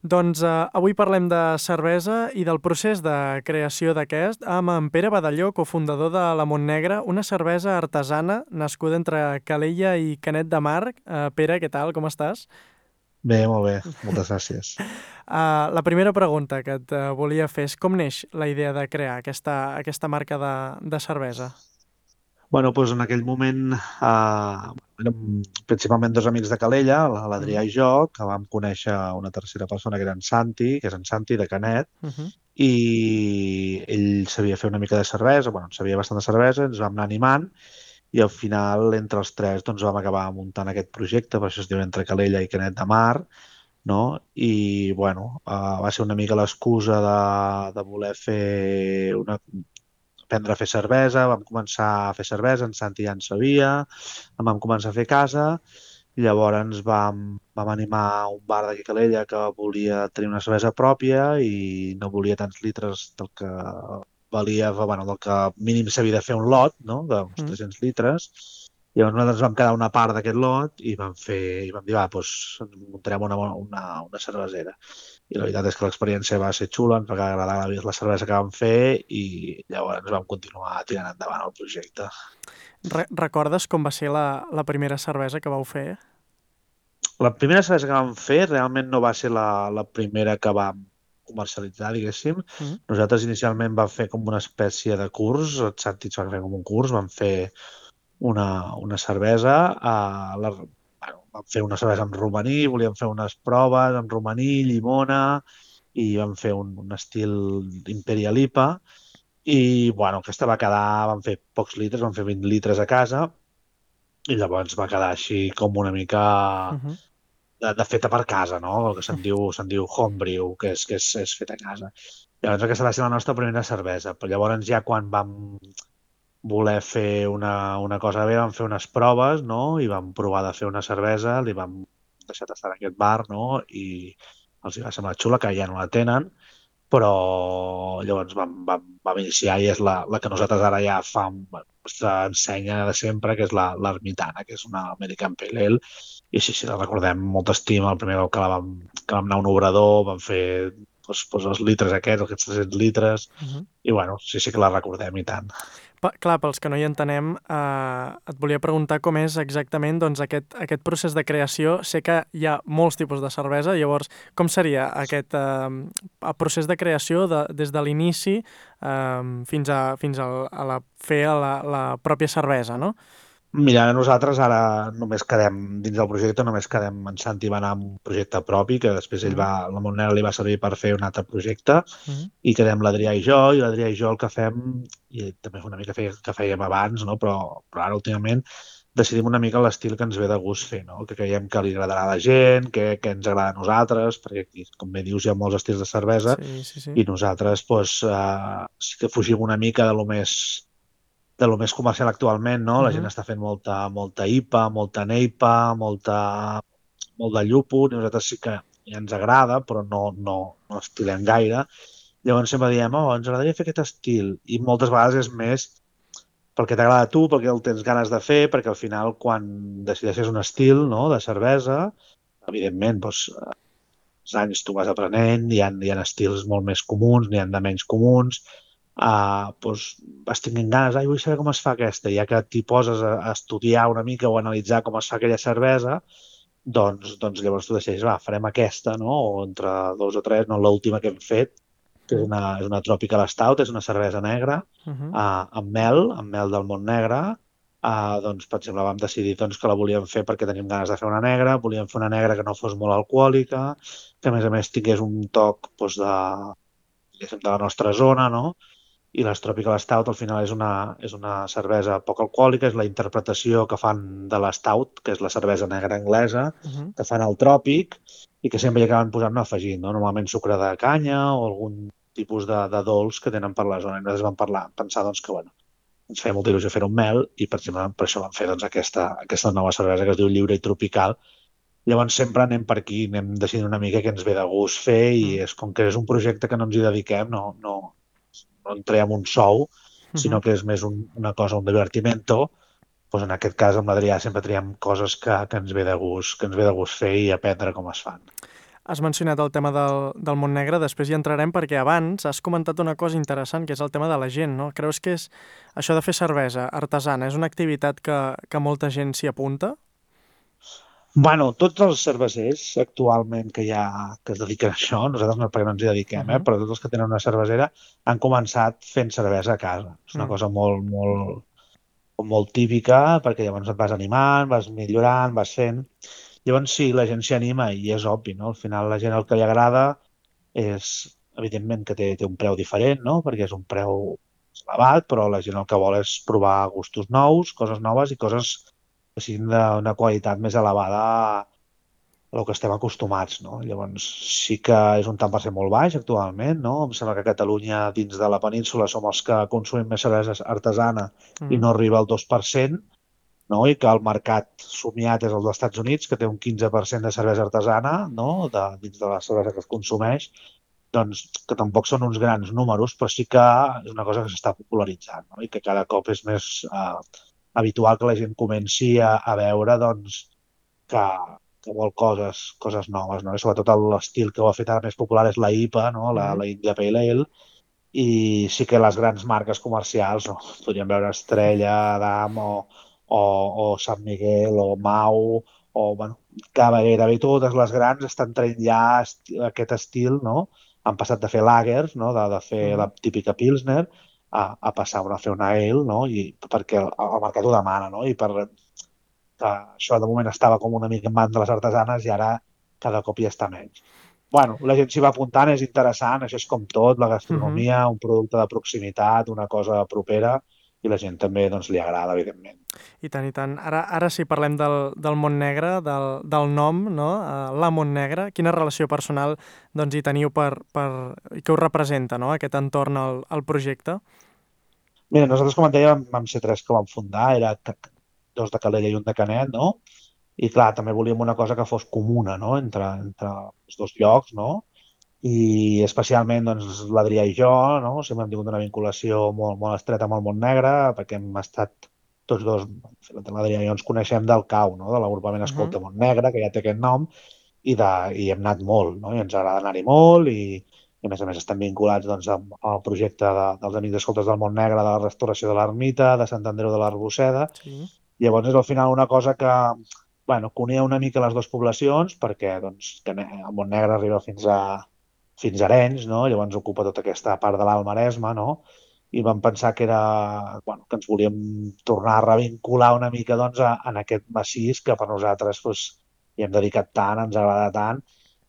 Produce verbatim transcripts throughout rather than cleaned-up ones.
Doncs eh, avui parlem de cervesa i del procés de creació d'aquest amb en Pere Badalló, cofundador de la Montnegra, una cervesa artesana nascuda entre Calella i Canet de Mar. Eh, Pere, què tal? Com estàs? Bé, molt bé, moltes gràcies. Uh, la primera pregunta que et uh, volia fer és com neix la idea de crear aquesta, aquesta marca de, de cervesa? Bueno, doncs en aquell moment eh, érem principalment dos amics de Calella, la- l'Adrià Mm i jo, que vam conèixer una tercera persona que era en Santi, que és en Santi de Canet, -hmm. i ell sabia fer una mica de cervesa, bueno, en sabia bastant de cervesa, ens vam anar animant, i al final, entre els tres, doncs vam acabar muntant aquest projecte, per això es diu Entre Calella i Canet de Mar, no? I, bueno, uh, va ser una mica l'excusa de, de voler fer una, aprendre a fer cervesa, vam començar a fer cervesa, en Santi ja en sabia, en vam començar a fer casa, i llavors vam, vam animar un bar d'aquí a Calella que volia tenir una cervesa pròpia i no volia tants litres del que valia, bueno, del que mínim s'havia de fer un lot, no?, d'uns Mm. tres-cents litres. I llavors nosaltres vam quedar una part d'aquest lot i vam fer, i vam dir, va, doncs muntarem una, una, una cervesera. I la veritat és que l'experiència va ser xula, ens va agradar la, la cervesa que vam fer i llavors vam continuar tirant endavant el projecte. Re Recordes com va ser la, la primera cervesa que vau fer? La primera cervesa que vam fer realment no va ser la, la primera que vam comercialitzar, diguéssim. Mm Nosaltres inicialment vam fer com una espècie de curs, el Santi ens va fer com un curs, vam fer una, una cervesa, a la, bueno, vam fer una cervesa amb romaní, volíem fer unes proves amb romaní, llimona, i vam fer un, un estil Imperial I P A, i bueno, aquesta va quedar, vam fer pocs litres, vam fer vint litres a casa, i llavors va quedar així com una mica -hmm. de, de feta per casa, no? El que se'n diu, se'n diu homebrew, que és, que és, és feta a casa. Llavors aquesta va ser la nostra primera cervesa, però llavors ja quan vam voler fer una, una cosa bé, vam fer unes proves, no? I vam provar de fer una cervesa, li vam deixar tastar en aquest bar, no? I els hi va semblar xula, que ja no la tenen, però llavors vam, vam, vam iniciar i és la, la que nosaltres ara ja fa bueno, nostra ensenya de sempre, que és la l'Ermitana, que és una American Pale Ale, i sí, sí, la recordem amb molta estima. El primer cop que, la vam, que vam anar a un obrador, vam fer doncs, doncs els litres aquests, aquests tres-cents litres, -hmm. i bueno, sí, sí que la recordem i tant. Pa, clar, pels que no hi entenem, eh, et volia preguntar com és exactament doncs, aquest, aquest procés de creació. Sé que hi ha molts tipus de cervesa, llavors com seria aquest eh, el procés de creació de, des de l'inici eh, fins, a, fins a, a la, fer la, la pròpia cervesa, no? Mira, nosaltres ara només quedem, dins del projecte, només quedem, en Santi va anar amb un projecte propi, que després ell Mm va, la Monera li va servir per fer un altre projecte, -hmm. i quedem l'Adrià i jo, i l'Adrià i jo el que fem, i també és una mica fe, que fèiem abans, no? però, però ara últimament decidim una mica l'estil que ens ve de gust fer, no? Que creiem que li agradarà a la gent, que, que ens agrada a nosaltres, perquè aquí, com bé dius, hi ha molts estils de cervesa, Sí, sí, sí. i nosaltres doncs, eh, sí que fugim una mica de lo més de lo més comercial actualment, no? Mm La gent -hmm. està fent molta, molta I P A, molta Neipa, molta, molt de llúpol, i nosaltres sí que ja ens agrada, però no, no, no estilem gaire. Llavors sempre diem, oh, ens agradaria fer aquest estil, i moltes vegades és més perquè t'agrada a tu, perquè el tens ganes de fer, perquè al final quan decideixes un estil, no?, de cervesa, evidentment, doncs, els anys tu vas aprenent, hi ha, hi ha estils molt més comuns, n'hi ha de menys comuns, uh, doncs vas tenint ganes, ai, vull saber com es fa aquesta, i ja que t'hi poses a, a estudiar una mica o a analitzar com es fa aquella cervesa, doncs, doncs llavors tu decideixes, va, farem aquesta, no?, o entre dos o tres, no l'última que hem fet, que és una, és una Tropical Stout, és una cervesa negra, Mm -hmm. uh, amb mel, amb mel del Montnegre. Uh, doncs, per exemple, vam decidir doncs, que la volíem fer perquè tenim ganes de fer una negra, volíem fer una negra que no fos molt alcohòlica, que a més a més tingués un toc doncs, de, diguéssim, de la nostra zona, no? I les Tropical Stout al final és una, és una cervesa poc alcohòlica, és la interpretació que fan de la Stout, que és la cervesa negra anglesa, Mm -hmm. que fan al tròpic i que sempre hi acaben posant-ne afegint, no? Normalment sucre de canya o algun tipus de, de dolç que tenen per la zona. I nosaltres vam parlar, pensar doncs, que bueno, ens feia molta il·lusió fer un mel i per, exemple, per això vam fer doncs, aquesta, aquesta nova cervesa que es diu Lliure i Tropical. Llavors sempre anem per aquí, anem decidint una mica què ens ve de gust fer, i és com que és un projecte que no ens hi dediquem, no, no, no en traiem un sou, Mm sinó -hmm. que és més un, una cosa, un divertimento. Doncs en aquest cas amb l'Adrià sempre triem coses que, que ens ve de gust, que ens ve de gust fer i aprendre com es fan. Has mencionat el tema del, del Montnegre, després hi entrarem perquè abans has comentat una cosa interessant, que és el tema de la gent, no? Creus que és això de fer cervesa artesana és una activitat que, que molta gent s'hi apunta? Bueno, tots els cervesers actualment que hi ha que es dediquen a això, nosaltres no, perquè no ens hi dediquem, Uh eh, -huh. però tots els que tenen una cervesera han començat fent cervesa a casa. És una Mm. cosa molt, molt, molt típica, perquè llavors et vas animant, vas millorant, vas fent. Llavors sí, la gent s'hi anima i és obvi, no? Al final la gent el que li agrada és, evidentment, que té, té un preu diferent, no? Perquè és un preu elevat, però la gent el que vol és provar gustos nous, coses noves i coses que siguin d'una qualitat més elevada a el que estem acostumats, no? Llavors sí que és un tant per cent molt baix actualment, no? Em sembla que a Catalunya, dins de la península, som els que consumim més cervesa artesana Uh i -huh. no arriba al dos per cent, no? I que el mercat somiat és el dels Estats Units, que té un quinze per cent de cervesa artesana, no? De, dins de la cervesa que es consumeix, doncs que tampoc són uns grans números, però sí que és una cosa que s'està popularitzant, no? I que cada cop és més eh, habitual que la gent comenci a, a veure doncs, que, que vol coses, coses noves, no? I sobretot l'estil que ho ha fet ara més popular és la I P A, no? Uh La, -huh. la India Pale Ale, i sí que les grans marques comercials, no? Podríem veure Estrella, Damm o, o, o Sant Miguel o Mau o, bueno, que gairebé totes les grans estan traient ja esti aquest estil, no? Han passat de fer lagers, no? De, de Uh fer -huh. la típica Pilsner a, a passar a fer una ale, no? I perquè el, el mercat ho demana, no? I per, que això de moment estava com una mica en mans de les artesanes i ara cada cop hi està menys. Bueno, la gent s'hi va apuntant, és interessant, això és com tot, la Uh -huh. gastronomia, un producte de proximitat, una cosa propera, i la gent també doncs, li agrada, evidentment. I tant, i tant. Ara, ara sí parlem del, del Montnegre, del, del nom, no? Uh, la Montnegre. Quina relació personal doncs, hi teniu per, per, i què us representa, no? Aquest entorn al, al projecte? Mira, nosaltres, com et deia, vam, vam ser tres que vam fundar, era dos de Calella i un de Canet, no? I clar, també volíem una cosa que fos comuna, no? Entre, entre els dos llocs, no? I especialment doncs, l'Adrià i jo, no? Sempre hem tingut una vinculació molt, molt estreta amb el Montnegre, perquè hem estat tots dos, l'Adrià i jo ens coneixem del CAU, no? De l'agrupament Uh -huh. Escolta Montnegre, que ja té aquest nom, i, de, i hem anat molt, no? I ens agrada anar-hi molt, i, i a més a més estem vinculats doncs, amb, al projecte de, dels Amics Escoltes del Montnegre, de la restauració de l'ermita, de Sant Andreu de l'Arbosseda. Sí. Llavors és al final una cosa que, bueno, que unia una mica les dues poblacions, perquè doncs, que el Montnegre arriba fins a, fins a Arenys, no? Llavors ocupa tota aquesta part de l'Alt Maresme, no? I vam pensar que era, bueno, que ens volíem tornar a revincular una mica doncs, a, en aquest massís que per nosaltres doncs, hi hem dedicat tant, ens agrada tant,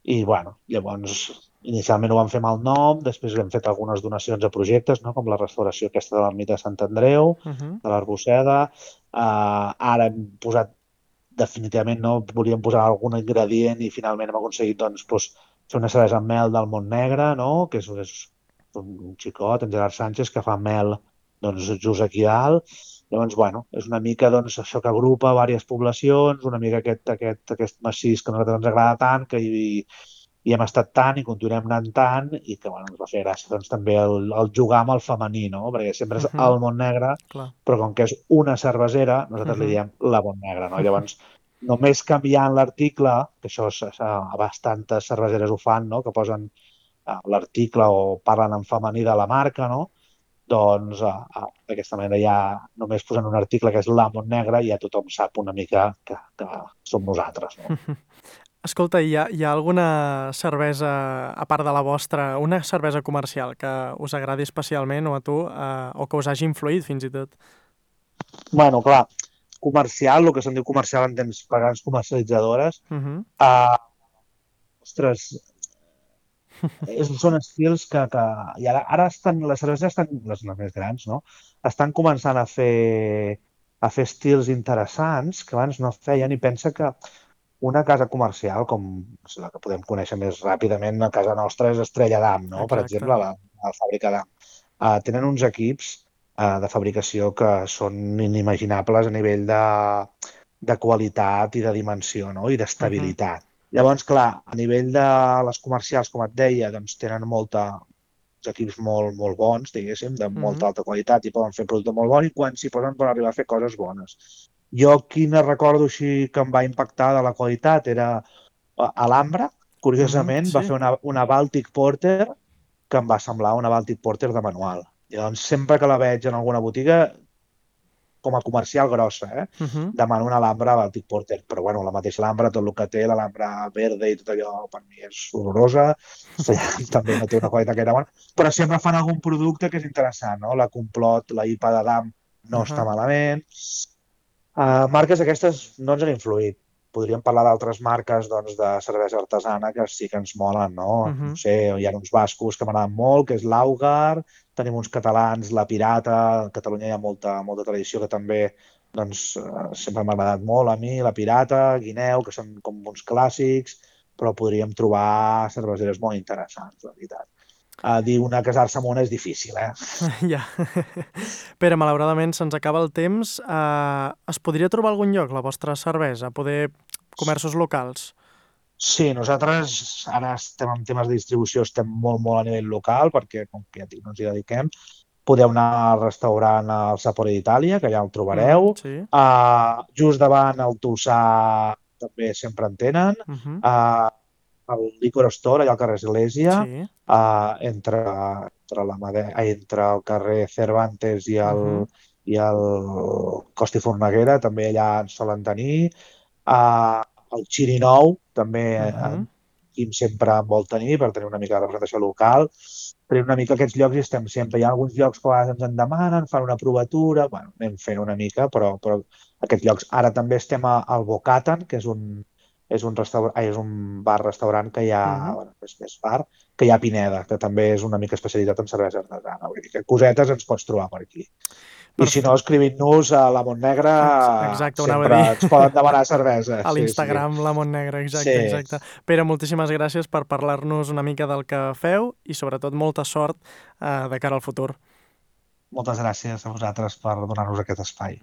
i bueno, llavors inicialment ho vam fer amb el nom, després hem fet algunes donacions a projectes, no? Com la restauració aquesta de l'ermita de Sant Andreu, Uh -huh. de l'Arbosseda. Uh, ara hem posat, definitivament no volíem posar algun ingredient i finalment hem aconseguit doncs, doncs, fer una cervesa amb mel del Montnegre, no? Que és, és un xicot, en Gerard Sánchez, que fa mel doncs, just aquí dalt. Llavors, bueno, és una mica doncs, això que agrupa diverses poblacions, una mica aquest, aquest, aquest massís que a nosaltres ens agrada tant, que hi, hi hem estat tant i continuem anant tant, i que bueno, ens va fer gràcia doncs, també el, el jugar amb el femení, no? Perquè sempre Uh és -huh. el Montnegre, Clar. però com que és una cervesera, Uh nosaltres li -huh. diem la Montnegre, no? Llavors, només canviant l'article, que això és, a bastantes cerveseres ho fan, no? Que posen uh, l'article o parlen en femení de la marca, no? Doncs uh, uh, d'aquesta manera ja només posant un article que és la Montnegre ja tothom sap una mica que, que som nosaltres, no? Escolta, hi ha, hi ha alguna cervesa, a part de la vostra, una cervesa comercial que us agradi especialment o a tu, eh, o que us hagi influït fins i tot? Bueno, clar, comercial, el que se'n diu comercial en temps per grans comercialitzadores, Uh -huh. uh, ostres, és, són estils que, que i ara, ara estan, les cerveses estan, les, les més grans, no? Estan començant a fer, a fer estils interessants que abans no feien, i pensa que una casa comercial, com la que podem conèixer més ràpidament a casa nostra, és Estrella Damm, no? Per Exacte. exemple, la, la fàbrica Damm. Uh, tenen uns equips uh, de fabricació que són inimaginables a nivell de, de qualitat i de dimensió, no? I Uh -huh. d'estabilitat. Llavors, clar, a nivell de les comercials, com et deia, doncs tenen molta, uns equips molt, molt bons, diguéssim, de Uh molta -huh. alta qualitat i poden fer producte molt bon, i quan s'hi posen poden arribar a fer coses bones. Jo quina recordo així que em va impactar de la qualitat era uh, Alhambra, curiosament, Mhm, va sí. fer una, una Baltic Porter que em va semblar una Baltic Porter de manual. I doncs sempre que la veig en alguna botiga, com a comercial grossa, eh? Mhm. Demano una Alhambra Baltic Porter, però bueno, la mateixa Alhambra, tot el que té, l'Alhambra verde i tot allò, per mi és horrorosa, també no té una qualitat gaire bona, però sempre fan algun producte que és interessant, no? La Complot, la I P A d'Adam no està Ahà. malament. Uh, marques aquestes no ens han influït. Podríem parlar d'altres marques doncs, de cervesa artesana que sí que ens molen, no? No Mhm. sé, hi ha uns bascos que m'agraden molt, que és l'Augar, tenim uns catalans, la Pirata, a Catalunya hi ha molta, molta tradició que també doncs, eh, sempre m'ha agradat molt a mi, la Pirata, Guineu, que són com uns clàssics, però podríem trobar cerveseres molt interessants, la veritat. Uh, dir una casar-se amb una és difícil, eh? Ja. Pere, malauradament se'ns acaba el temps. Uh, es podria trobar a algun lloc la vostra cervesa? Poder comerços locals? Sí, nosaltres ara estem en temes de distribució, estem molt, molt a nivell local, perquè, com que ja et dic, no ens hi dediquem. Podeu anar al restaurant al Sapore d'Itàlia, que allà el Mm, trobareu. sí. Uh, just davant el Tolçà també sempre en tenen. Mhm. Uh, el Licor Store, allà al carrer Església, Sí. uh, entre, entre, la Made... ai, entre el carrer Cervantes i el, Mhm. i el Costa i Forneguera, també allà en solen tenir. Uh, el Xirinou també en Mhm. Quim sempre en vol tenir per tenir una mica de representació local. Tenim una mica aquests llocs i estem sempre. Hi ha alguns llocs que a vegades ens en demanen, fan una provatura, bueno, anem fent una mica, però, però aquests llocs. Ara també estem a, al Bocatan, que és un, és un, restaurant, ai, és un bar-restaurant que hi ha, Mhm. bueno, és més bar, que hi ha a Pineda, que també és una mica especialitat en cervesa artesana. Vull dir que cosetes ens pots trobar per aquí. I si no, Perfecte. escrivint-nos a la Montnegra, Exacte, ho anava a sempre dir. ens poden demanar cervesa. A Sí, sí. l'Instagram, la Montnegra, Sí. exacte, exacte. Pere, moltíssimes gràcies per parlar-nos una mica del que feu i sobretot molta sort eh, de cara al futur. Moltes gràcies a vosaltres per donar-nos aquest espai.